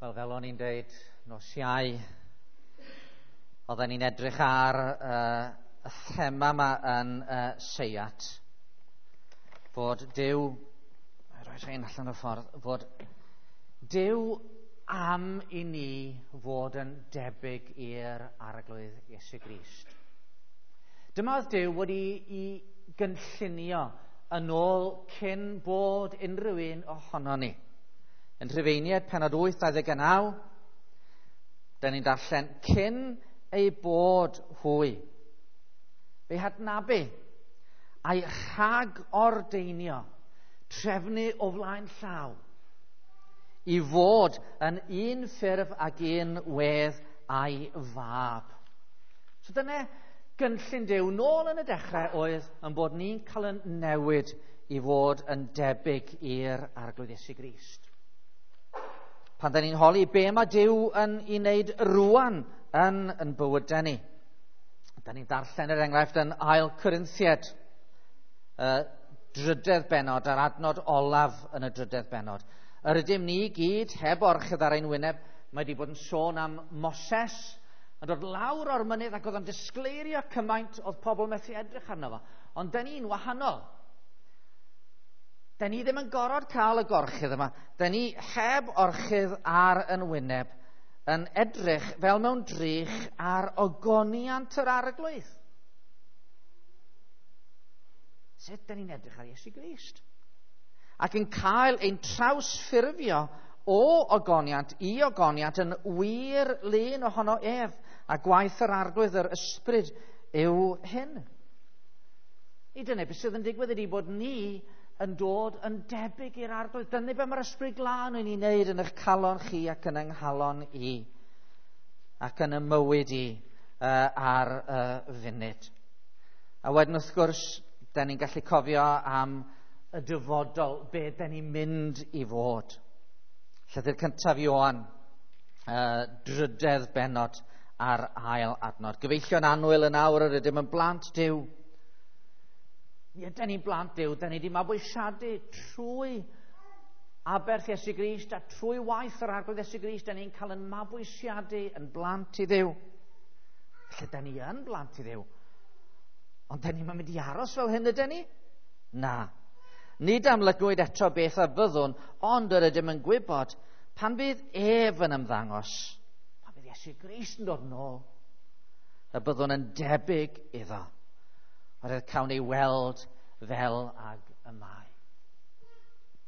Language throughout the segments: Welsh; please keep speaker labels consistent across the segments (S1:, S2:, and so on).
S1: Wel, fel o'n i'n deud nos Iau, oedden ni'n edrych ar y thema yma yn Seiat, fod Duw, rhoi rhain allan o'r ffordd, fod Duw am i ni fod yn debyg i'r Arglwydd Iesu Grist. Dyma oedd Duw wedi i gynllunio yn ôl cyn bod unrhyw un ohono ni. Yn Rhufeiniaid pennod 8, 29, da ni'n darllen, cyn ei bod hwy. Fe hadnabu a'i rhag ordeinio, trefnu o flaen llaw, i fod yn un ffurf ag un wedd a'i fab. So dyna gynllun Duw nôl yn y dechrau oedd yn bod ni'n cael yn newid i fod yn debyg i'r Arglwydd Iesu Grist. Pan da ni'n holi be mae Duw yn ei wneud rwan yn bywydau ni. Da ni'n darllen yr enghraifft yn Ail Corinthiaid, drydedd bennod, a'r adnod olaf yn y drydedd bennod. Yr ydym ni gyd heb orchudd ar ein wyneb, mae wedi bod yn sôn am Moses, yn dod lawr o'r mynydd ac oedd o'n disgleirio cymaint oedd pobl methu edrych arno fo. Ond da ni'n wahanol. Da ni ddim yn gorfod cael y gorchudd yma. Da ni heb orchudd ar yn wyneb yn edrych fel mewn drych ar ogoniant yr Arglwydd. Sut da ni'n edrych ar Iesu Grist? Ac yn cael ein trawsffurfio o ogoniant i ogoniant yn wir lun ohono ef, a gwaith yr Arglwydd yr Ysbryd yw hyn. I dyna beth sydd yn digwydd ydy bod ni yn dod yn debyg i'r Arglwydd. Dyna be mae'r Ysbryd Glân yn ei wneud yn eich calon chi ac yn yng nghalon i, ac yn y mywyd i ar y funud. A wedyn wrth gwrs, da ni'n gallu cofio am y dyfodol, be da ni'n mynd i fod. Llythyr cyntaf Ioan, drydedd bennod a'r ail adnod. Gyfeillion annwyl yn awr yr ydym yn blant Duw. Mi ydyn ni'n blant Duw, da ni wedi mabwysiadu trwy aberth Iesu Grist a trwy waith yr Arglwydd Iesu Grist, da ni'n cael yn mabwysiadu yn blant i Dduw. Felly da ni yn blant i Dduw. Ond da ni'n mynd i aros fel hyn ydyn ni? Na. Nid amlygwyd eto beth a fyddwn, ond yr ydym yn gwybod pan fydd ef yn ymddangos, pan fydd Iesu Grist yn dod nôl, y byddwn yn debyg iddo. Oherwydd cawn ei weld fel ag y mae.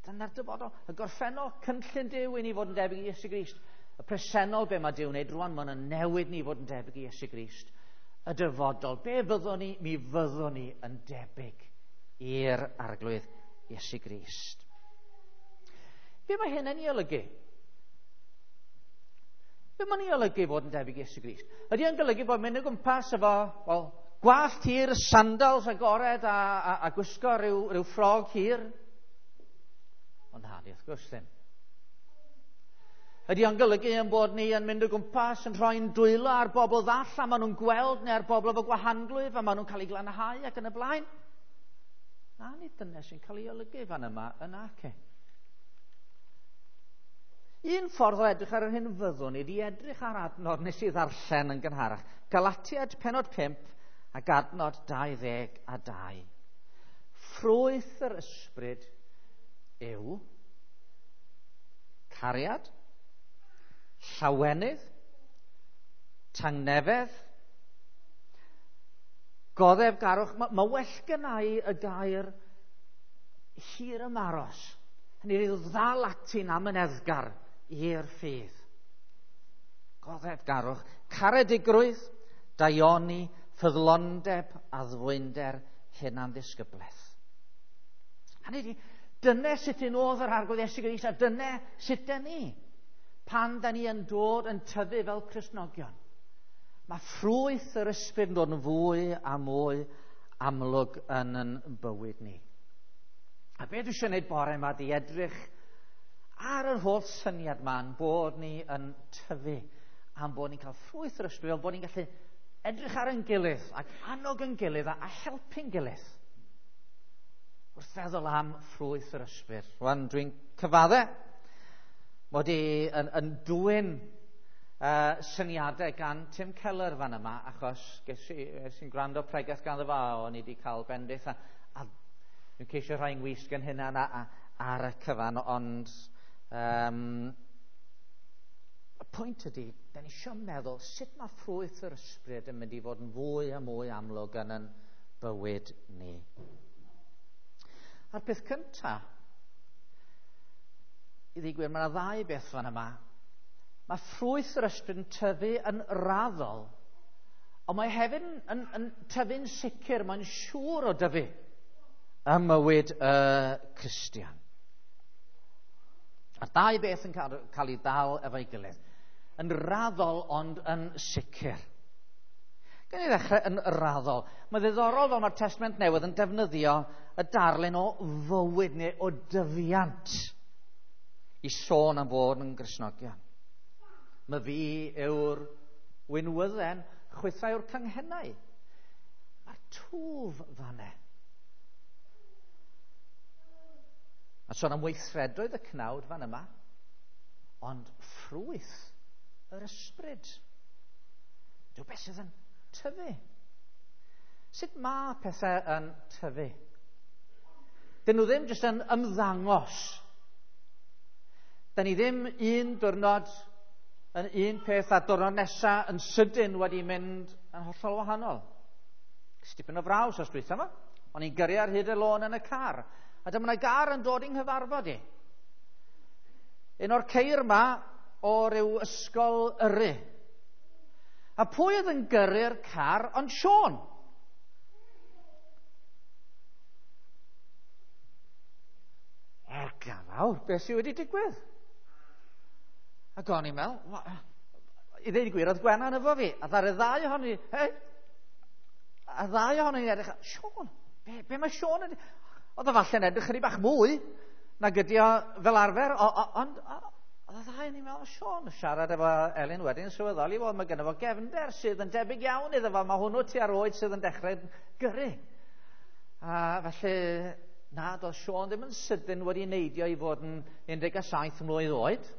S1: Dyna'r dyfodol. Y gorffennol, cynllun Duw i ni fod yn debyg i Iesu Grist. Y presennol, be mae Duw wneud rwan, mae'n newid ni fod yn debyg i Iesu Grist. Y dyfodol, be fyddwn ni? Mi fyddwn ni yn debyg i'r Arglwydd Iesu Grist. Be mae hyn yn ei olygu? Be mae'n ei olygu fod yn debyg i Iesu Grist? Ydy yn golygu bod mynd o gwmpas efo, wel, gwallt hir, sandals agored a gwisgo rhyw ffrog hir? Ond na, wrth gwrs ddim. Ydy o'n golygu yn bod ni yn mynd o gwmpas yn rhoi'n dwylo ar bobl ddall a maen nhw'n gweld neu ar bobl efo gwahanglwyf a maen nhw'n cael eu glanhau ac yn y blaen? Na, nid dyna sy'n cael ei olygu fan yma yn ac. Un ffordd o edrych ar yr hyn fyddwn ni wedi edrych ar adnod nes i ddarllen yn gynharach. Galatiaid pennod 5 ac adnod 22. Ffrwyth yr ysbryd yw cariad, llawenydd, tangnefedd, goddefgarwch. Mae well gynna i y gair hir ymaros. Hynny yw ddal ati'n amyneddgar i'r ffydd. Goddefgarwch, caredigrwydd, daioni, ffyddlondeb, addfwynder, hunanddisgyblaeth. Hynny ydi, dyna sut un oedd yr Arglwydd Iesu Grist, a dyna sut da ni, pan da ni yn dod yn tyfu fel Cristnogion. Mae ffrwyth yr ysbryd yn dod yn fwy a mwy amlwg yn yn bywyd ni. A be dwi eisiau gwneud bore yma di edrych ar yr holl syniad ma'n bod ni yn tyfu, a'n bod ni'n cael ffrwyth yr ysbryd, fel bod ni'n gallu edrych ar ein gilydd ac annog ein gilydd a helpu'n gilydd wrth feddwl am ffrwyth yr ysbryd. Rwan dwi'n cyfadde, Mod i yn dwyn syniadau gan Tim Keller fan yma, achos ges i'n gwrando pregeth ganddo fo, o'n i wedi cael bendith, a dwi'n ceisio rhai ngwisg yn hynna ar y cyfan, ond y pwynt ydy, da ni eisiau meddwl sut mae ffrwyth yr ysbryd yn mynd i fod yn fwy a mwy amlwg yn yn bywyd ni. A'r peth cyntaf, i ddweud gwir, mae yna ddau beth fan yma. Mae ffrwyth yr ysbryd yn tyfu yn raddol, ond mae hefyd yn tyfu'n sicr, mae'n siŵr o dyfu ym mywyd y Cristion. A'r ddau beth yn cael ei ddal efo'i gilydd. Yn raddol ond yn sicr. Gan i ddechrau yn raddol. Mae ddiddorol fel mae'r Testament Newydd yn defnyddio y darlun o fywyd neu o dyfiant i sôn am fod yn Gristnogion. Mae fi yw'r winwydden, chwythau yw'r canghennau. Mae'r twf fanne. Mae'n sôn am weithredoedd y cnawd fan yma, ond ffrwyth yr ysbryd. Dyw beth sydd yn tyfu. Sut mae pethau yn tyfu? Dyn nhw ddim jyst yn ymddangos. Da ni ddim un diwrnod yn un peth a diwrnod nesaf yn sydyn wedi mynd yn hollol wahanol. Stipyn o fraws os dwytha yma. O'n i'n gyrru ar hyd y lôn yn y car. A dyma yna gar yn dod i'n nghyfarfod i. Un o'r ceir yma o ryw ysgol yrru. A pwy oedd yn gyrru'r car ond Siôn? Erga fawr, beth sydd wedi digwydd? Ac o'n i'n meddwl, i ddweud y gwir, oedd Gwenan efo fi, a ddaru ddau ohoni, hei, a ddau ohoni edrych, Siôn, be mae Siôn yn... Oedd o falle'n edrych chydig bach mwy nag ydi o fel arfer, ond oedd y ddau yn i'n meddwl, Siôn, siarad efo Elin wedyn, sylweddoli, wel, mae gynno fo gefnder sydd yn debyg iawn iddo fo, mae hwnnw tua'r oed sydd yn dechrau gyrru. A felly, na, doedd Siôn ddim yn sydyn wedi neidio i fod yn 17 mlwydd oed,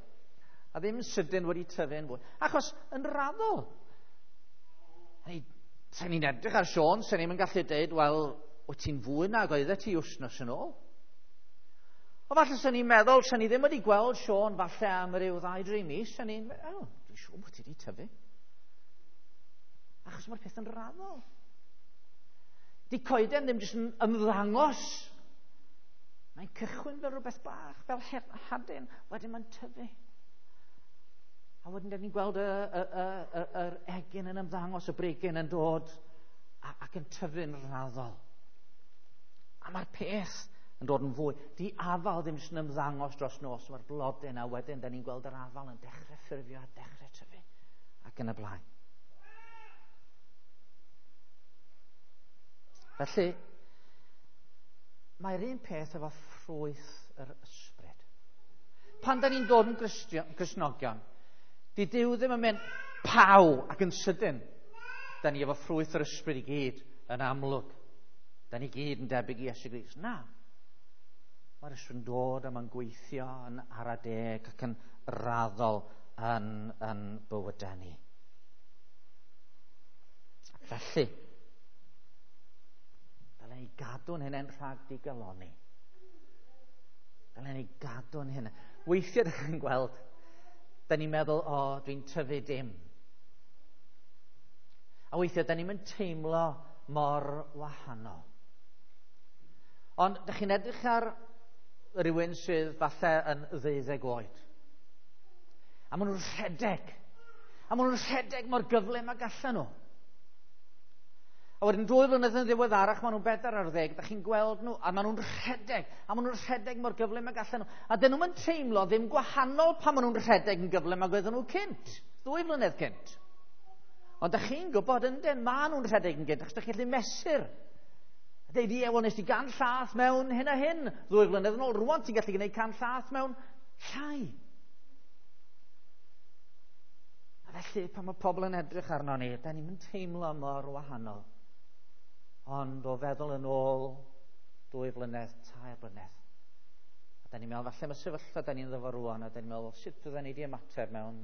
S1: a ddim sydyn wedi tyfu'n fwy. Achos yn raddol, sen ni'n edrych ar Siôn, sen ni'n gallu deud, wel, wyt ti'n fwy nag oeddet ti wythnos yn ôl? O falle sen ni'n meddwl, sen ni ddim wedi gweld Siôn falle am ryw 2-3 mis, sen ni'n meddwl, oh, dwi'n siŵr bod ti wedi tyfu. Achos mae'r peth yn raddol. Di coeden ddim jyst yn ymddangos. Mae'n cychwyn fel rhywbeth bach, fel hadyn, wedyn mae'n tyfu. A wedyn dan ni'n gweld yr egin yn ymddangos, y brigyn yn dod ac yn tyfu'n raddol. A mae'r peth yn dod yn fwy. Di afal ddim jyst yn ymddangos dros nos, mae'r blodyn, a wedyn dan ni'n gweld yr afal yn dechrau ffurfio a dechrau tyfu ac yn y blaen. Felly, mae'r un peth efo ffrwyth yr ysbryd. Pan dan ni'n dod yn Gristnogion, di Duw ddim yn mynd paw ac yn sydyn. Da ni efo ffrwyth yr ysbryd i gyd yn amlwg. Da ni gyd yn debyg i Iesu Grist. Na. Mae'r ysbryd yn dod a mae'n gweithio yn ara deg ac yn raddol yn bywydau ni. Felly, dylen ni gadw'n hunain rhag digalonni. Dylen ni gadw'n hunain. Weithiau ydych chi'n gweld, da ni'n meddwl, o, dwi'n tyfu dim. A weithiau, da ni'n mynd teimlo mor wahanol. Ond, da chi'n edrych ar rhywun sydd falle yn 12 oed. A maen nhw'n rhedeg. A maen nhw'n rhedeg mor gyflym ag allan nhw. A wedyn 2 flynedd yn ddiweddarach, maen nhw'n 14, da chi'n gweld nhw, a maen nhw'n rhedeg, a maen nhw'n rhedeg mor gyflym ag allan nhw. A dyn nhw'n teimlo ddim gwahanol pan maen nhw'n rhedeg yn gyflym ag oedden nhw cynt, 2 flynedd cynt. Ond da chi'n gwybod yndyn, maen nhw'n rhedeg yn gynt, achos da chi'n gallu mesur. A deud, ie, wel, nes ti 100 llath mewn hyn a hyn, 2 flynedd yn ôl, rwan ti'n gallu gwneud 100 llath mewn llai. A felly, pan mae pobl yn edrych arno ni, da ni'n teimlo mor wahanol. Ond o feddwl yn ôl 2 blynedd, 3 blynedd, a Da ni'n meddwl, falle mae sefyllfa da ni'n ddyfod rwan, a da ni'n meddwl, sut fydden ni wedi ymateb mewn,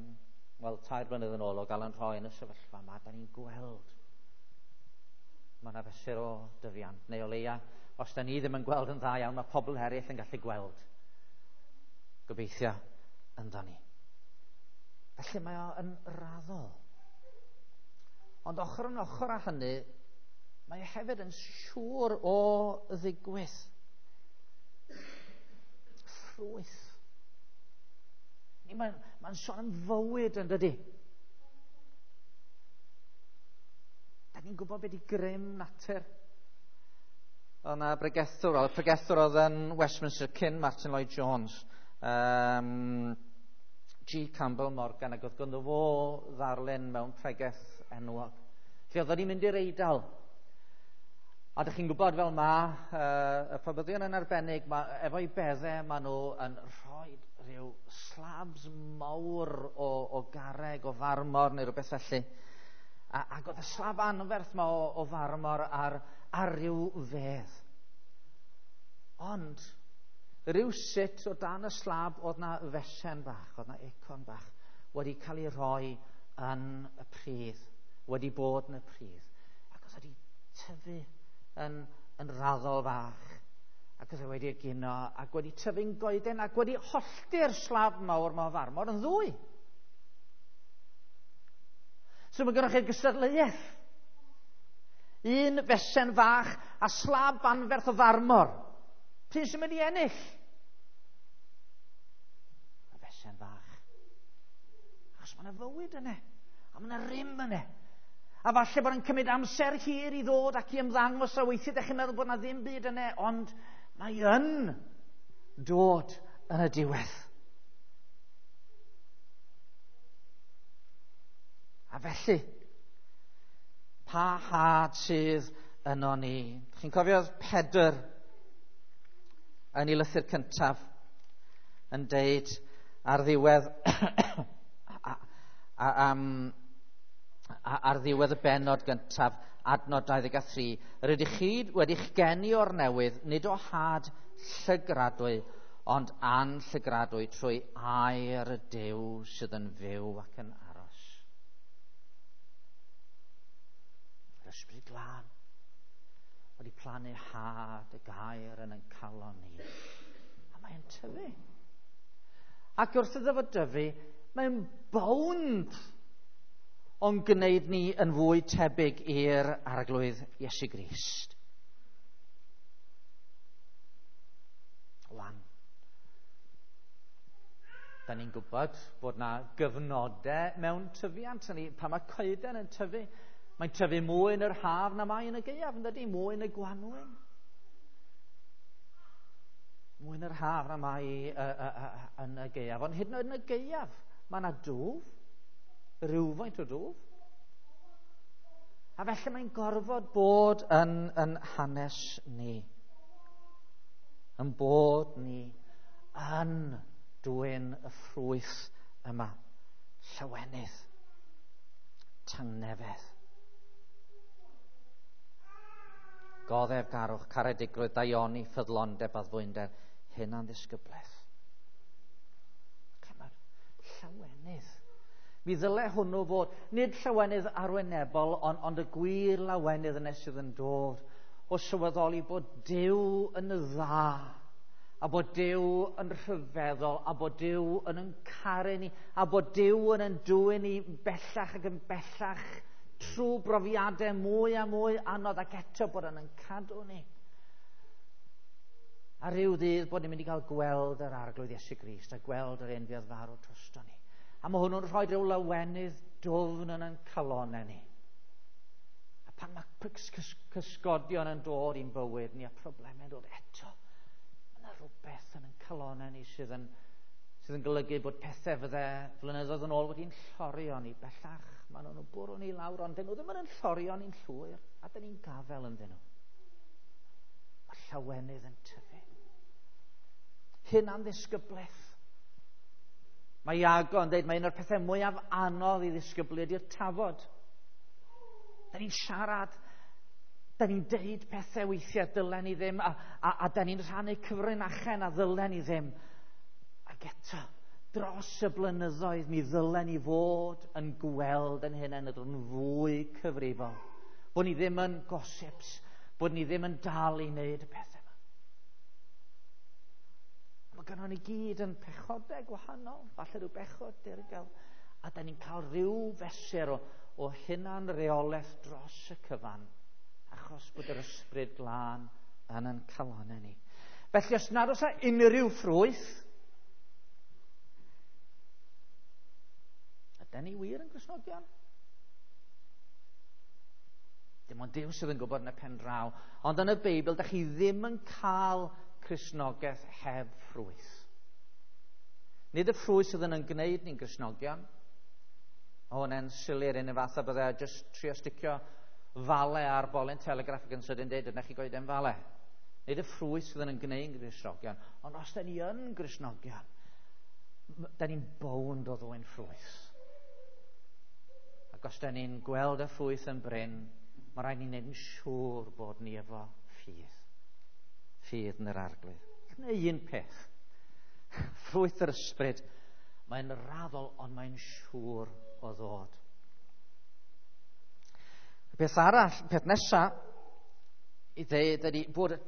S1: wel, 3 blynedd yn ôl o gael yn rhoi yn y sefyllfa yma, da ni'n gweld. Mae yna fesur o dyfiant, neu o leia, os da ni ddim yn gweld yn dda iawn, mae pobl eraill yn gallu gweld. Gobeithio ynddo ni. Felly mae o yn raddol. Ond ochr yn ochr â hynny, mae hefyd yn siŵr o ddigwydd. Ffrwyth. Mae'n sôn am fywyd yn dydy. Da ni'n gwybod beth i grym natur. Oedd yna bregethwr oedd yn Westminster cyn Martin Lloyd Jones, G. Campbell Morgan, ac oedd ganddo fo ddarlun mewn pregeth enwog. Lle oedd o'n mynd i'r Eidal. A dych chi'n gwybod fel ma, y pobyddion yn arbennig, efo'i beddau maen nhw yn rhoi rhyw slabs mawr o garreg, o farmor neu rhywbeth felly. Ac oedd y slab anferth ma o farmor ar ryw fedd. Ond rhywsut o dan y slab oedd na fesen bach, oedd na acorn bach wedi cael ei rhoi yn y pridd, wedi bod yn y pridd. Ac oedd wedi tyfu yn raddol fach, ac oedd e wedi egino, ac wedi tyfu'n goeden, ac wedi hollti'r slab mawr ma o farmor yn ddwy. So mae gennych chi'r gystadleuaeth. Un fesen fach a slab anferth o farmor. P'un sy'n mynd i ennill? Y fesen fach. Achos mae yna fywyd yna, a mae yna rym yna. A falle bod yn cymryd amser hir i ddod ac i ymddangos, a weithiau ydych chi'n meddwl bod yna ddim byd yna, ond mae yn dod yn y diwedd. A felly, pa had sydd yno ni? Chi'n cofio Pedr yn ei lythyr cyntaf yn deud ar ddiwedd ar ddiwedd y bennod gyntaf, adnod 23, rydych chi wedi'ch geni o'r newydd, nid o had llygradwy, ond anllygradwy trwy air y Duw sydd yn fyw ac yn aros. Yr Ysbryd Glân wedi plannu had y gair yn ein calon ni. A mae'n tyfu. Ac wrth iddo fo dyfu, mae'n bownd o'n gwneud ni yn fwy tebyg i'r Arglwydd Iesu Grist. Wan, da ni'n gwybod bod na gyfnodau mewn tyfiant. Pan mae coeden yn tyfu, mae'n tyfu mwy yn yr haf na mae yn y gaeaf, yn dydy? Mwy yn y gwanwyn. Mwy yn yr haf na mae yn y gaeaf. Ond hyd yn oed yn y gaeaf, mae yna dwf, rhywfaint o dwf. A felly mae'n gorfod bod yn hanes ni. Yn bod ni yn dwyn y ffrwyth yma. Llawenydd. Tangnefedd. Goddefgarwch, caredigrwydd, daioni, ffyddlondeb, addfwynder, hunanddisgyblaeth. Llawenydd. Mi ddyle hwnnw fod, nid llawenydd arwynebol, ond y gwir lawenydd yna sydd yn dod o sylweddoli bod Duw yn dda, a bod Duw yn rhyfeddol, a bod Duw yn caru ni, a bod Duw yn dwyn ni bellach ac yn bellach trwy brofiadau mwy a mwy anodd, ac eto bod yn cadw ni. A rhyw ddydd bod ni'n mynd i gael gweld yr Arglwydd Iesu Grist a gweld yr un fuodd farw drosto ni. A mae hwnnw'n rhoi rhyw lawenydd dwfn yn ein calonnau ni. A pan mae cysgodion yn dod i'n bywyd ni a problemau yn dod eto, mae yna rhywbeth yn ein calonnau ni sydd yn golygu bod pethau fydde flynyddoedd yn ôl wedi'n llorio ni bellach. Maen nhw'n bwrw ni lawr, ond dyn nhw ddim yn llorio ni'n llwyr, a dyn ni'n gafel ynddyn nhw. Mae llawenydd yn tyfu. Hunanddisgyblaeth. Mae Iago yn dweud mae un o'r pethau mwyaf anodd i ddisgyblu ydy'r tafod. Da ni'n siarad Da ni'n deud pethau weithiau dylen ni ddim, a da ni'n rhannu cyfrinachau na ddylen ni ddim. Ac eto, dros y blynyddoedd, mi ddylen ni fod yn gweld yn hynny yn fwy cyfrifol. Bod ni ddim yn gossips, bod ni ddim yn dal i wneud y pethau yma. Mae gynnon ni gyd yn pechodau gwahanol, falle rhyw bechod dirgel, a da ni'n cael rhyw fesur o hunan reolaeth dros y cyfan, achos bod yr ysbryd glân yn ein calonnau ni. Felly, os nad oes unrhyw ffrwyth, ydy ni wir yn Gristnogion? Dim ond Duw sydd yn gwybod yn y pen draw. Ond yn y Beibl, da chi ddim yn cael Cristnogaeth heb ffrwyth. Nid y ffrwyth sydd yn gwneud ni'n Gristnogion. O, hwnna'n sili'r un fath a bydde jyst trio sticio fale ar bolyn telegraff ac yn sydyn dweud, yna chi goeden fale. Nid y ffrwyth sydd yn gwneud yn Gristnogion, ond os da ni yn Gristnogion, da ni'n bownd o ddwyn ffrwyth. Ac os da ni'n gweld y ffrwyth yn brin, mae rhaid ni'n gwneud yn siŵr bod ni efo ffydd. Ffydd yn yr Arglwydd. Neu un peth. Ffrwyth yr ysbryd, mae'n raddol, ond mae'n siŵr o ddod. Y peth arall, peth nesaf, i ddeud ydy bod y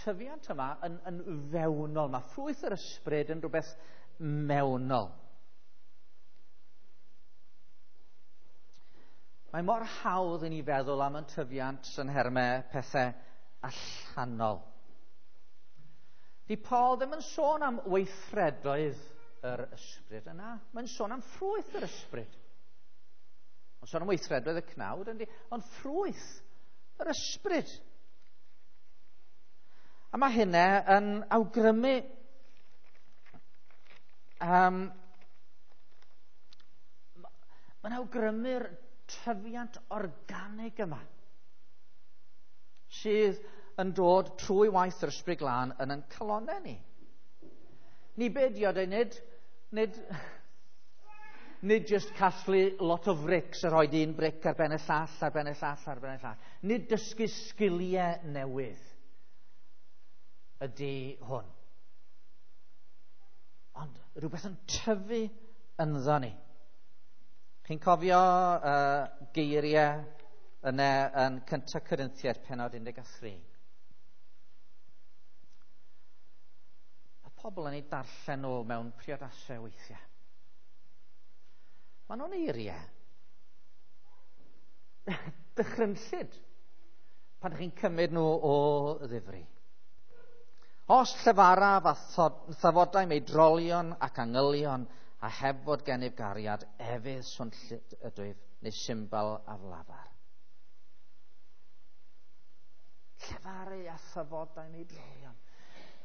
S1: tyfiant yma yn fewnol. Mae ffrwyth yr ysbryd yn rhywbeth mewnol. Mae mor hawdd i ni feddwl am y tyfiant yn nhermau pethau allanol. Di Paul ddim yn sôn am weithredoedd yr ysbryd yna. Mae'n sôn am ffrwyth yr ysbryd. Mae'n sôn am weithredoedd y cnawd, yndi? Ond ffrwyth yr ysbryd. A mae hynna yn awgrymu mae'n awgrymu'r tyfiant organig yma sydd yn dod trwy waith yr ysbryd glân yn ein calonnau ni. Ni be di o, nid just casglu lot o frics a rhoi un bric ar ben y llall, ar ben y llall, ar ben y llall. Nid dysgu sgiliau newydd ydy hwn. Ond rhywbeth yn tyfu ynddo ni. Chi'n cofio geiriau yna yn 1 Corinthiaid pennod 13. Mae pobl yn ei darllen nhw mewn priodasau weithiau. Maen nhw'n eiriau dychrynllyd pan ydych chi'n cymryd nhw o ddifri. Os llefaraf a thafodau meidrolion ac angylion a heb fod gennyf gariad, efydd swnllyd ydwyf neu symbol aflafar. Llefaru a thafodau meidrolion.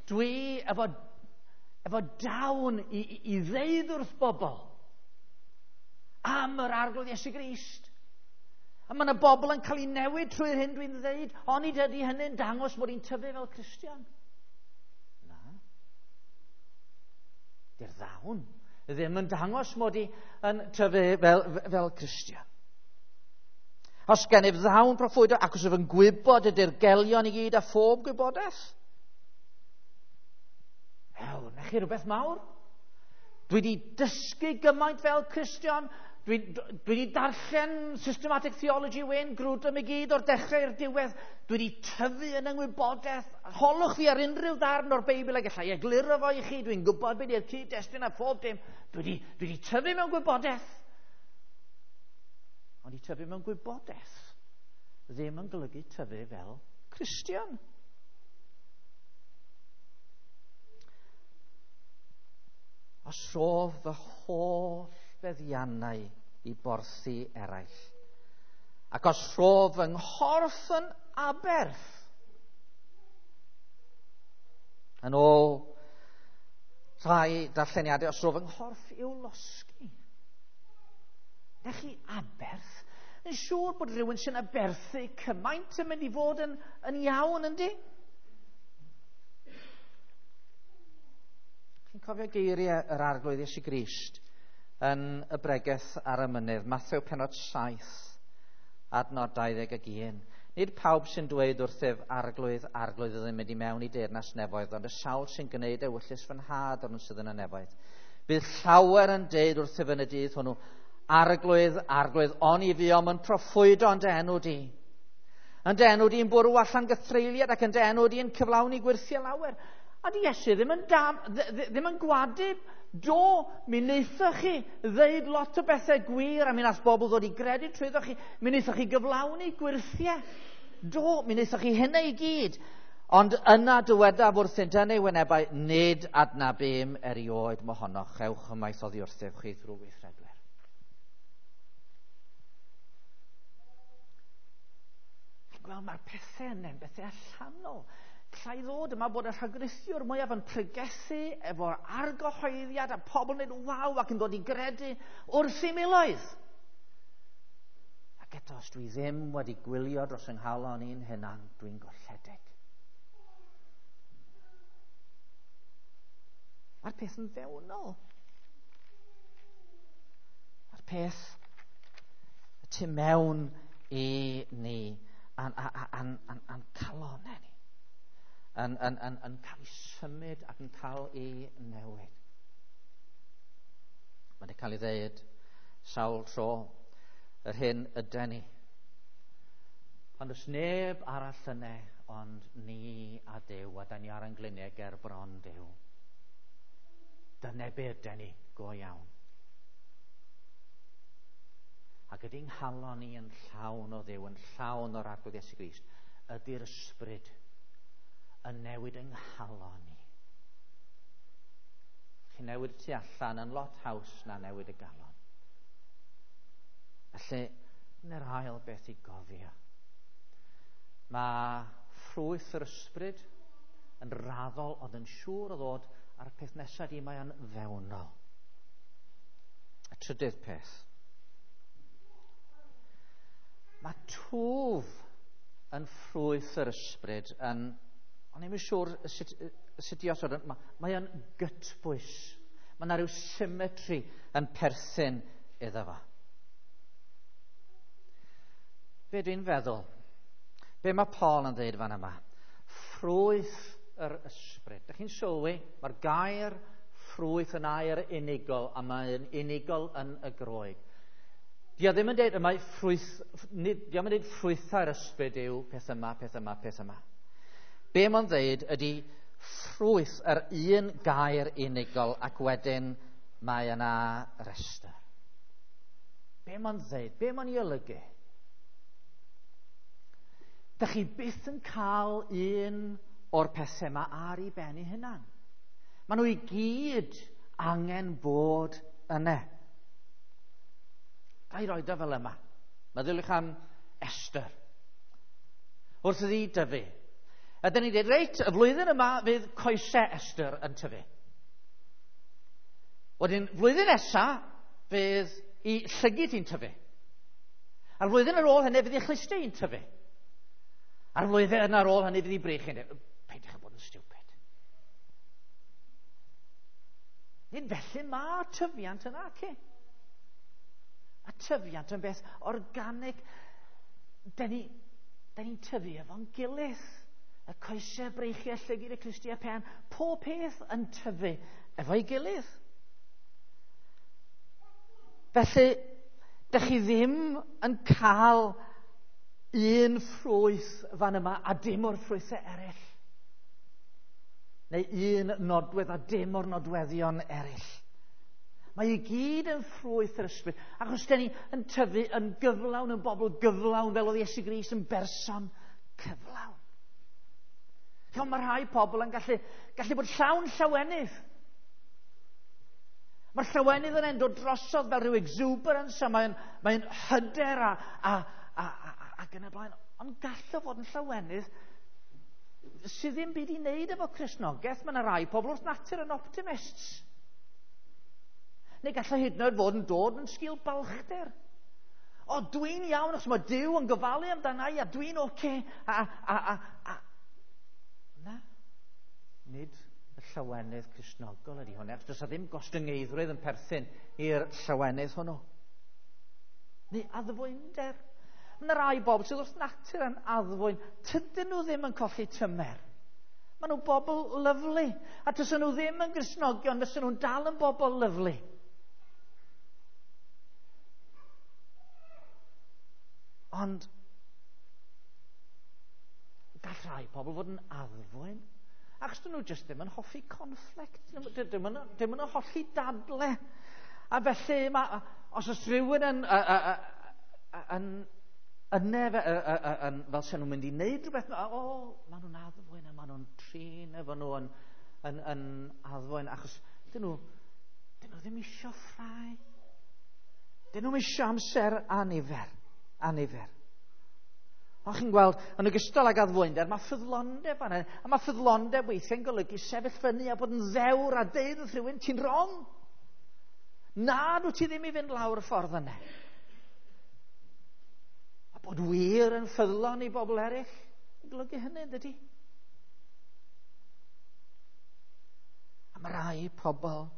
S1: Dwi efo dawn i ddeud wrth bobl am yr Arglwydd Iesu Grist. A mae yna bobl yn cael ei newid trwy'r hyn dwi'n ddeud, onid ydy hynny'n dangos mod i'n tyfu fel Cristion? Na. Di'r ddawn ddim yn dangos mod i yn tyfu fel Cristion. Os gennyf ddawn proffwydo, ac os ydw yn gwybod y dirgelion i gyd a phob gwybodaeth. Ew, na chi rhywbeth mawr? Dwi wedi dysgu gymaint fel Cristion. Dwi wedi darllen Systematic Theology Wayne Grudem i gyd o'r dechrau i'r diwedd. Dwi wedi tyfu yn yngwybodaeth. Holwch fi ar unrhyw ddarn o'r Beibl a gallai egluro fo i chi. Dwi'n gwybod beth yw'r cyd-destun a phob dim. Dwi wedi tyfu mewn gwybodaeth. Ond i tyfu mewn gwybodaeth ddim yn golygu tyfu fel Cristion. Os rof fy holl feddiannau i borthi eraill, ac os rhof fy nghorff yn aberth, yn ôl rhai darlleniadau, os rhof fy nghorff i'w losgi. Na chi aberth? Yn siŵr bod rhywun sy'n aberthu cymaint yn mynd i fod yn iawn, yndi? Chi'n cofio geiriau yr Arglwydd Iesu Grist yn y bregeth ar y mynydd, Mathew pennod 7, adnod 21. Nid pawb sy'n dweud wrthyf arglwydd, arglwydd oedd yn mynd i mewn i deyrnas nefoedd, ond y sawl sy'n gwneud ewyllys fy nhad ond sydd yn y nefoedd. Bydd llawer yn deud wrthyf yn y dydd hwnnw, arglwydd, arglwydd, oni fuom yn proffwydo yn dy enw di. Yn dy enw di'n bwrw allan gythreuliad ac yn dy enw di'n cyflawni gwyrthiau lawer. A di Iesu ddim yn, dam, ddim yn gwadu, do, mi wnaethoch chi ddeud lot o bethau gwir a mi wnaeth bobl ddod i gredu trwyddo chi, mi wnaethoch chi gyflawni gwyrthiau. Do, mi wnaethoch chi hynna i gyd. Ond yna dywedaf wrthynt yn ei wynebau, nid adnabum erioed mohonoch, ewch ymaith oddi wrthyf chi drwy weithredwyr. Chi'n gweld, mae'r pethau yna yn bethau allanol. Alla i ddod yma bod y rhagrithiwr mwyaf yn pregethu efo'r argyhoeddiad a pobl yn dweud waw ac yn dod i gredu wrth i miloedd. Ac eto, os dwi ddim wedi gwylio dros yng nghalon i'n hunan, dwi'n golledig. Mae'r peth yn fewnol. Mae'r peth y tu mewn i ni a'n calonau ni. Yn cael ei symud ac yn cael ei newid. Mae wedi cael ei ddeud sawl tro yr hyn yden ni. Ond oes neb arall yna ond ni a Duw, a da ni ar ein gliniau ger bron Duw. Dyna be yden ni, go iawn. Ac ydy'n nghalon ni yn llawn o Dduw, yn llawn o'r Arglwydd Iesu Grist, ydy'r ysbryd yn newid yng nghalon ni. Chi newid tu allan yn lot haws na newid y galon. Felly, dyna'r ail beth i gofio. Mae ffrwyth yr ysbryd yn raddol ond yn siŵr o ddod a'r peth nesaf di mae o'n fewnol. Y trydydd peth. Mae twf yn ffrwyth yr ysbryd yn, o'n i'm yn siŵr sut i osod, mae o'n gytbwys. Mae yna rhyw symmetry yn perthyn iddo fo. Be dwi'n feddwl? Be mae Paul yn dweud fan yma? Ffrwyth yr ysbryd. Dych chi'n sylwi? Mae'r gair ffrwyth yn air unigol, a mae'n unigol yn y Groeg. Dio ddim yn dweud yma ffrwyth, dio ddim yn dweud ffrwythau'r ysbryd yw peth yma, peth yma, peth yma. Be mae'n dweud ydy ffrwyth yr un gair unigol ac wedyn mae yna restr. Be mae'n dweud? Be mae'n ei olygu? Dych chi byth yn cael un o'r pethau yma ar ei ben ei hunan. Maen nhw i gyd angen bod yna. Ga i roed o fel yma. Meddyliwch am Esther. Wrth iddi dyfu. A dyn ni'n dweud, reit, y flwyddyn yma fydd coesau Esther yn tyfu. Wedyn, flwyddyn nesa fydd i llygid hi'n tyfu. A'r flwyddyn ar ôl hynny fydd i chlustau hi'n tyfu. A'r flwyddyn ar ôl hynny fydd i brych hi'n tyfu. Peidiwch â bod yn stupid. Nid felly mae tyfiant yna, ci. Mae tyfiant yn beth organig. Dyn ni'n tyfu efo'n gilydd. Y coesau, breichiau, llygid, y clustiau, pen, pob peth yn tyfu efo'i gilydd. Felly, dych chi ddim yn cael un ffrwyth fan yma a dim o'r ffrwythau eraill. Neu un nodwedd a dim o'r nodweddion eraill. Mae i gyd yn ffrwyth yr ysbryd. Achos dyn ni yn tyfu yn gyflawn, yn bobl gyflawn, fel oedd Iesu Grist yn berson cyflawn. Chi'mod, mae rhai pobl yn gallu bod llawn llawenydd. Mae'r llawenydd yn dod drosodd fel rhyw exuberance, a mae'n hyder ac yn y blaen. Ond gall o fod yn llawenydd sydd ddim byd i wneud efo Cristnogaeth. Mae yna rai pobl wrth natur yn optimists. Neu gallai hyd yn oed fod yn dod yn sgil balchder. O, dwi'n iawn, achos mae Duw yn gofalu amdana i, a dwi'n oce. Na, nid y llawenydd Cristnogol ydy hwn, achos does 'na ddim gostyngeiddrwydd yn perthyn i'r llawenydd hwnnw. Neu addfwynder. Mae yna rai bobl sydd wrth natur yn addfwyn. Tydyn nhw ddim yn colli tymer. Maen nhw'n bobl lyfli. A tysen nhw ddim yn Gristnogion, fysen nhw'n dal yn bobl lyfli. Ond gall rhai pobl fod yn addfwyn, achos dyn nhw jyst ddim yn hoffi conflict, dim yn hoffi dadle. A felly, ma, os oes rhywun yn, yn, yn, yn, fel sy'n nhw'n mynd i wneud rhywbeth, o, maen nhw'n addfwyn a maen nhw'n trin efo nhw yn, yn, yn addfwyn, achos dyn nhw, dyn nhw ddim isio ffrau. Dyn nhw'n isio amser anifer, anifer. O, chi'n gweld, yn ogystal ag addfwynder, mae ffyddlondeb yna. A mae ffyddlondeb weithiau'n golygu sefyll fyny a bod yn ddewr a deud wrth rhywun, ti'n wrong. Na, dwi ti ddim i fynd lawr y ffordd yna. A bod wir yn ffyddlon i bobl eraill, yn golygu hynny, dydy? A mae rai pobl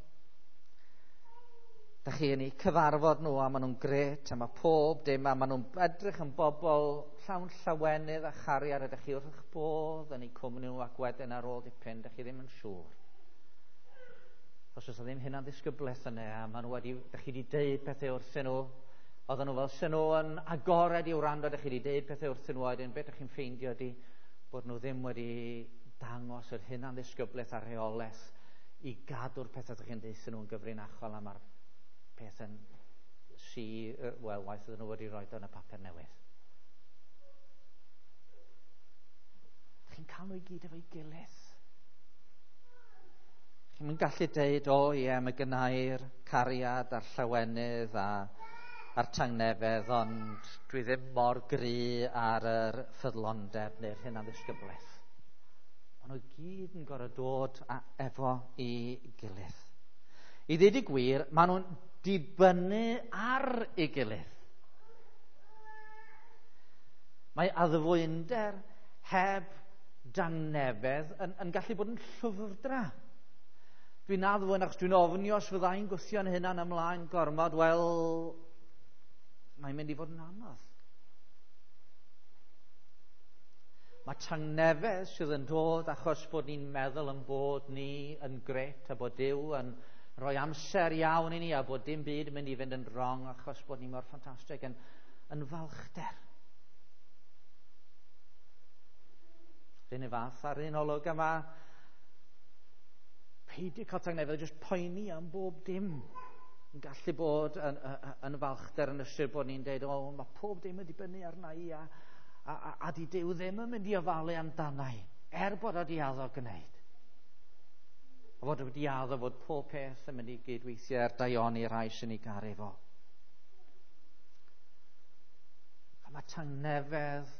S1: da chi yn eu cyfarfod nhw a maen nhw'n gret a mae pob dim a maen nhw'n edrych yn bobl llawn llawenydd a chariad a da chi wrth eich bodd yn eu cwmni nhw ac wedyn ar ôl dipyn da chi ddim yn siŵr. Os oes ddim hynna'n ddisgyblaeth yna a maen nhw wedi, da chi wedi deud pethau wrthyn nhw, oedden nhw fel sy'n nhw yn agored i wrando, da chi wedi deud pethau wrthyn nhw wedyn beth da chi'n ffeindio ydy bod nhw ddim wedi dangos yr hynna'n ddisgyblaeth a rheolaeth i gadw'r pethau da chi'n deud nhw'n gyfrinachol a mae'r peth yn si, wel, waith ydyn nhw wedi rhoi yn y papur newydd. Chi'n cael nhw i gyd efo'i gilydd. Chi'n mynd gallu deud, o ie, mae gynnau'r cariad a'r llawenydd a, a'r tangnefedd, ond dwi ddim mor gry ar yr ffyddlondeb neu'r hyn ddisgyblaeth. Maen nhw gyd yn gorfod dod a, efo i gilydd. I ddweud y gwir, maen nhw'n dibynnu ar ei gilydd. Mae addfwynder heb dangnefedd yn, yn gallu bod yn llwfrdra. Dwi'n addfwyn achos dwi'n ofni os fyddai'n gwthio'n hunan ymlaen gormod, wel, mae'n mynd i fod yn anodd. Mae tangnefedd sydd yn dod achos bod ni'n meddwl yn bod ni yn gret a bod Duw yn rhoi amser iawn i ni a bod dim byd yn mynd i fynd yn wrong achos bod ni mor ffantastig yn, yn falchder. Rhyn y fath ar un olwg yma, peidio cael tangnefedd, jyst poeni am bob dim yn gallu bod yn, yn, yn falchder yn ystyr bod ni'n deud, o, mae pob dim yn dibynnu arna i a, a, a, a di Duw ddim yn mynd i ofalu amdana i, er bod o di addo gwneud. A fod wedi addo fod pob peth yn mynd i gydweithio er daioni rhai sy'n ei garu fo. A mae tangnefedd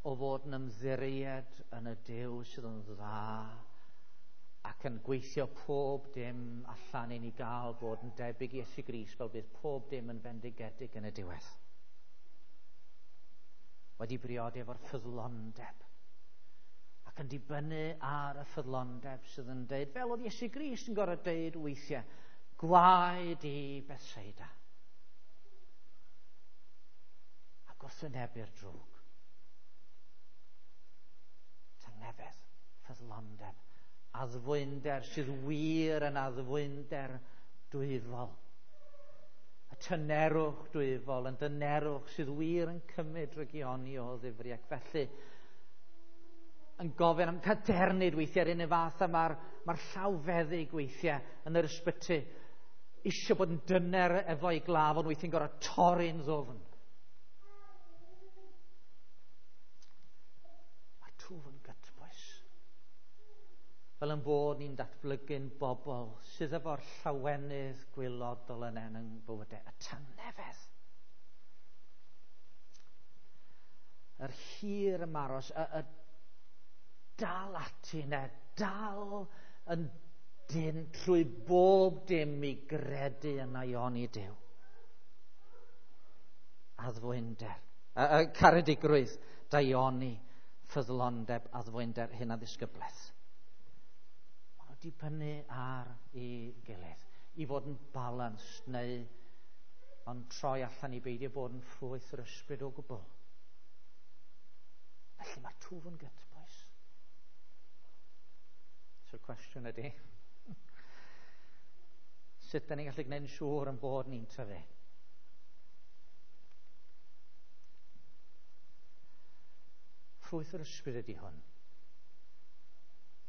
S1: o fod yn ymddiried yn y Duw sydd yn dda ac yn gweithio pob dim allan i ni gael bod yn debyg i Iesu Grist fel bydd pob dim yn fendigedig yn y diwedd. Wedi briodi efo'r ffyddlondeb ac yn dibynnu ar y ffyddlondeb sydd yn deud, fel oedd Iesu Grist yn gorfod deud weithiau, gwaed i Bethsaida. A gwrthwynebu'r drwg. Tangnefedd, ffyddlondeb, addfwynder sydd wir yn addfwynder dwyfol. Y tynerwch dwyfol yn dynerwch sydd wir yn cymryd drygioni o ddifri ac felly yn gofyn am cadernid weithiau ar un y fath a mae'r mae llawfeddyg weithiau yn yr ysbyty eisiau bod yn dyner efo'i glaf ond weithiau'n gorfod torri'n ddwfn. Mae'r twf yn gytbwys. Fel yn bod ni'n datblygu'n bobl sydd efo'r llawenydd gwylodol yn en yng bywydau, y tangnefedd. Yr hir ymaros, y, y dal ati yna, dal yn dyn trwy bob dim i gredu yn aioni Duw. Addfwynder, caredigrwydd, daioni, ffyddlondeb, addfwynder, hyn a ddisgyblaeth. Maen nhw dibynnu ar ei gilydd, i fod yn balanced neu ond troi allan i beidio bod yn ffrwyth yr ysbryd o gwbl. Felly mae'r twf yn gytbwys. So'r cwestiwn ydy, sut da ni'n gallu gwneud yn siŵr yn bod ni'n tyfu? Ffrwyth yr ysbryd ydy hwn.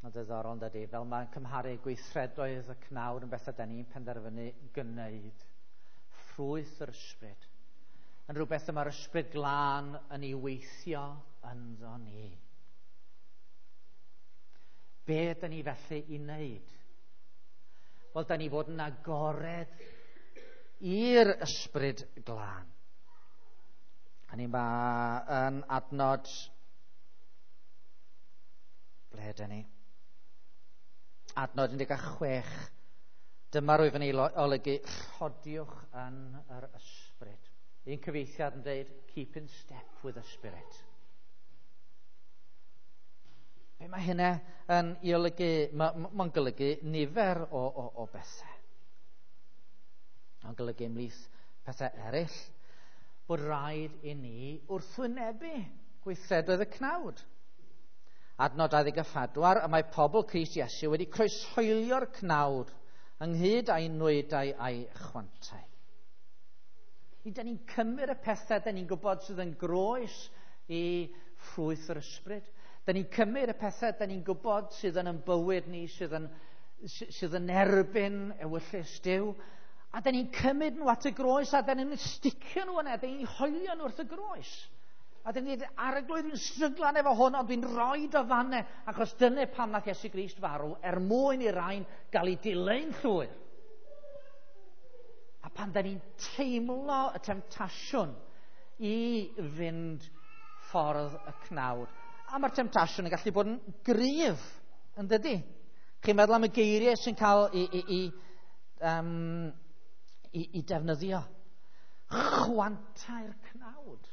S1: Mae'n ddiddorol yn dydy, fel mae'n cymharu gweithredoedd y cnawd yn bethau da ni'n penderfynu gwneud. Ffrwyth yr ysbryd yn rhywbeth y mae'r ysbryd glân yn ei weithio ynddo ni. Be ydyn ni felly i wneud? Wel, da ni fod yn agored i'r ysbryd glân. A ni ma yn adnod... Ble ydyn ni? Adnod 16. Dyma rwyf yn ei olygu, rhodiwch yn yr ysbryd. Un cyfieithiad yn dweud, keep in step with the Spirit. Be mae hynna yn ei olygu? Mae'n golygu nifer o bethau. Mae'n golygu ymhlith pethau eraill bod rhaid i ni wrthwynebu gweithredoedd y cnawd. Adnod 24, y mae pobl Crist Iesu wedi croeshoelio'r cnawd ynghyd â'i nwydau a'i chwantau. Da ni'n cymryd y pethau da ni'n gwybod sydd yn groes i ffrwyth yr ysbryd. Da ni'n cymryd y pethau da ni'n gwybod sydd yn bywyd ni, sydd yn erbyn ewyllys Duw. A da ni'n cymryd nhw at y groes, a da ni'n sticio nhw yna, da ni'n hoelio nhw wrth y groes. A da ni'n dweud, Arglwydd, dwi'n stryglan efo hwn, ond dwi'n rhoi o fanne, achos dyna pam nath Iesu Grist farw, er mwyn i rain gael ei dileu'n llwyr. A pan da ni'n teimlo y temtasiwn i fynd ffordd y cnawd. A mae'r temtasiwn yn gallu bod yn gryf, yn dydy? Chi'n meddwl am y geiriau sy'n cael i defnyddio. Chwantau'r cnawd.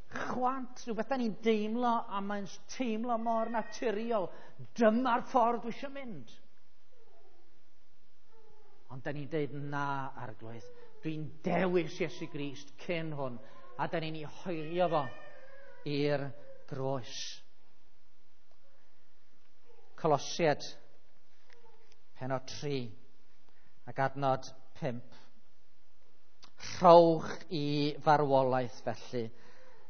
S1: Chwant, rhywbeth da ni'n deimlo, a mae'n teimlo mor naturiol. Dyma'r ffordd dwi eisiau mynd. Ond da ni'n deud, na, Arglwydd, dwi'n dewis Iesu Grist cyn hwn, a da ni'n ei hoelio fo i'r groes. Colosiaid, pennod 3, ac adnod 5. Rhowch i farwolaeth felly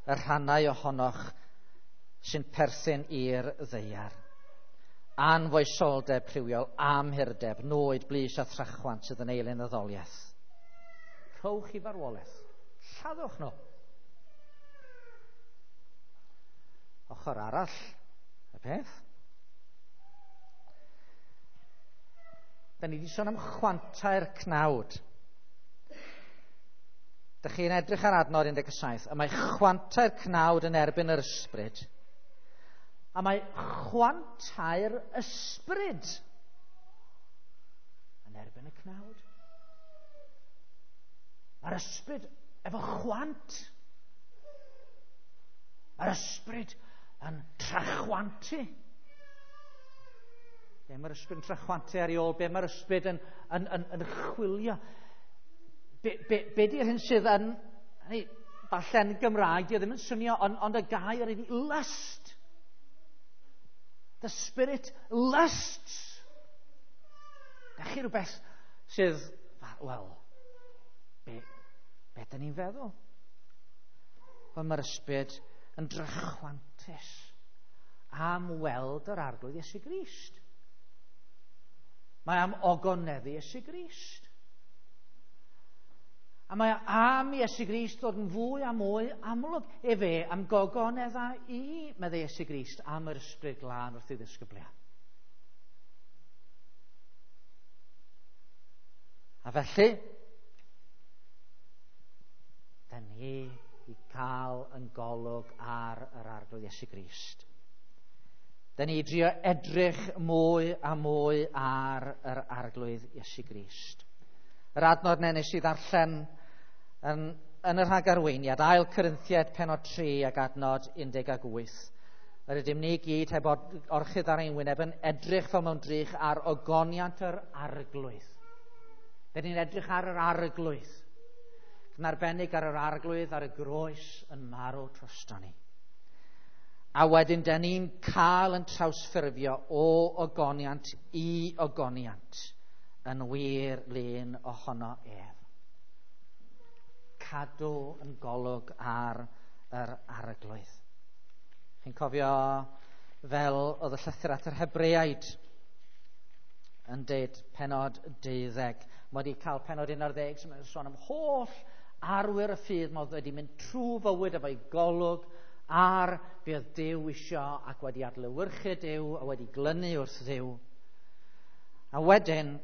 S1: y rhannau ohonoch sy'n perthyn i'r ddaear. Anfoesoldeb rhywiol, amhurdeb, nwyd, blys a thrachwant sydd yn eilun addoliaeth. Rhowch i farwolaeth. Lladdwch nhw. Ochr arall y peth. Da ni wedi sôn am chwantau'r cnawd. Dych chi'n edrych ar adnod 17, a mae chwantau'r cnawd yn erbyn yr ysbryd. A mae chwantau'r ysbryd yn erbyn y cnawd. Mae'r ysbryd efo chwant. Mae'r ysbryd yn trachwantu. Be mae'r ysbryd yn trachwantu ar ei ôl? Be mae'r ysbryd yn chwilio? Be di'r hyn sydd yn... Falle'n Gymraeg, di o ddim yn swnio, ond y gair ydi lust. The spirit lusts. Da chi rhywbeth sydd, wel, be da ni'n feddwl? Wel, mae'r ysbryd yn drachwantus am weld yr Arglwydd Iesu Grist. Mae am ogoneddu Iesu Grist. A mae am Iesu Grist ddod yn fwy a mwy amlwg. Efe am gogonedda i, meddai Iesu Grist, am yr ysbryd glân wrth ei ddisgyblion. A felly, da ni i cael yn golwg ar yr Arglwydd Iesu Grist. Da ni i drio edrych mwy a mwy ar yr Arglwydd Iesu Grist. Yr adnod 'na nes i ddarllen yn y rhagarweiniad, 2 Corinthiaid pennod 3 ac adnod 18. Yr ydym ni gyd heb orchudd ar ein wyneb yn edrych fel mewn drych ar ogoniant yr Arglwydd. Dyn ni'n edrych ar yr Arglwydd. Yn arbennig ar yr Arglwydd ar y groes yn marw drosto ni. A wedyn, da ni'n cael yn trawsffurfio o ogoniant i ogoniant yn wir lun ohono ef. Cadw yn golwg ar yr Arglwydd. Chi'n cofio fel oedd y llythyr at yr Hebreaid yn deud penod 12. Mae wedi cael penod 11 sy'n sôn am holl arwyr y ffydd. Mae wedi mynd trwy fywyd efo'i golwg ar be oedd Duw isio ac wedi adlewyrchu Duw a wedi glynu wrth Dduw. A wedyn,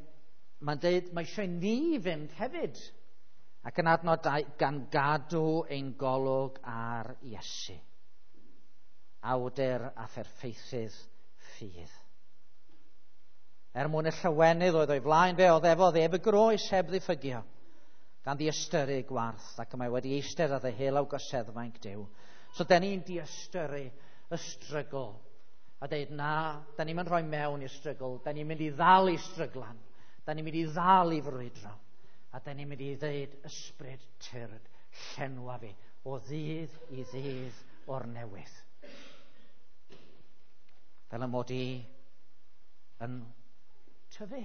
S1: mae'n deud mae eisiau ni fynd hefyd. Ac yn adnod 2, gan gadw ein golwg ar Iesu, awdur a pherffeithydd ffydd. Er mwyn y llawenydd oedd o'i flaen fe oddefodd ef y groes heb ddiffygio, gan ddiystyru gwarth, ac y mae wedi eistedd ar ddeheullaw goseddfainc Duw. So, da ni'n diystyru y strygl a deud, na, da ni'n mynd rhoi mewn i'r strygl, da ni'n mynd i ddal i stryglan, da ni'n mynd i ddal i frwydro, a da ni'n mynd i ddeud, ysbryd tyrd, llenwa fi, o ddydd i ddydd o'r newydd. Fel y mod i yn tyfu.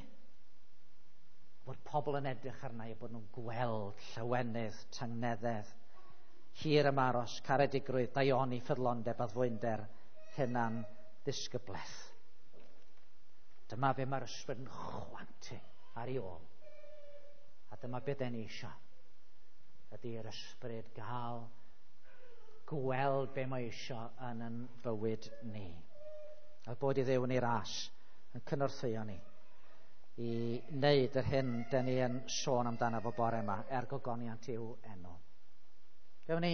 S1: Bod pobl yn edrych arna i, bod nhw'n gweld llawenydd, tangnefedd, hir ymaros, caredigrwydd, daioni, ffyddlondeb, addfwynder, hunan ddisgyblaeth. Dyma be mae'r ysbryd yn chwantu ar ei ôl. A dyma be den ni eisiau. Ydy'r ysbryd gael gweld be mae eisiau yn yn bywyd ni. A bod i Dduw yn ei ras yn cynorthwyo ni i wneud yr hyn den ni yn sôn amdano fo bore yma, er gogoniant i'w enw. Gawn ni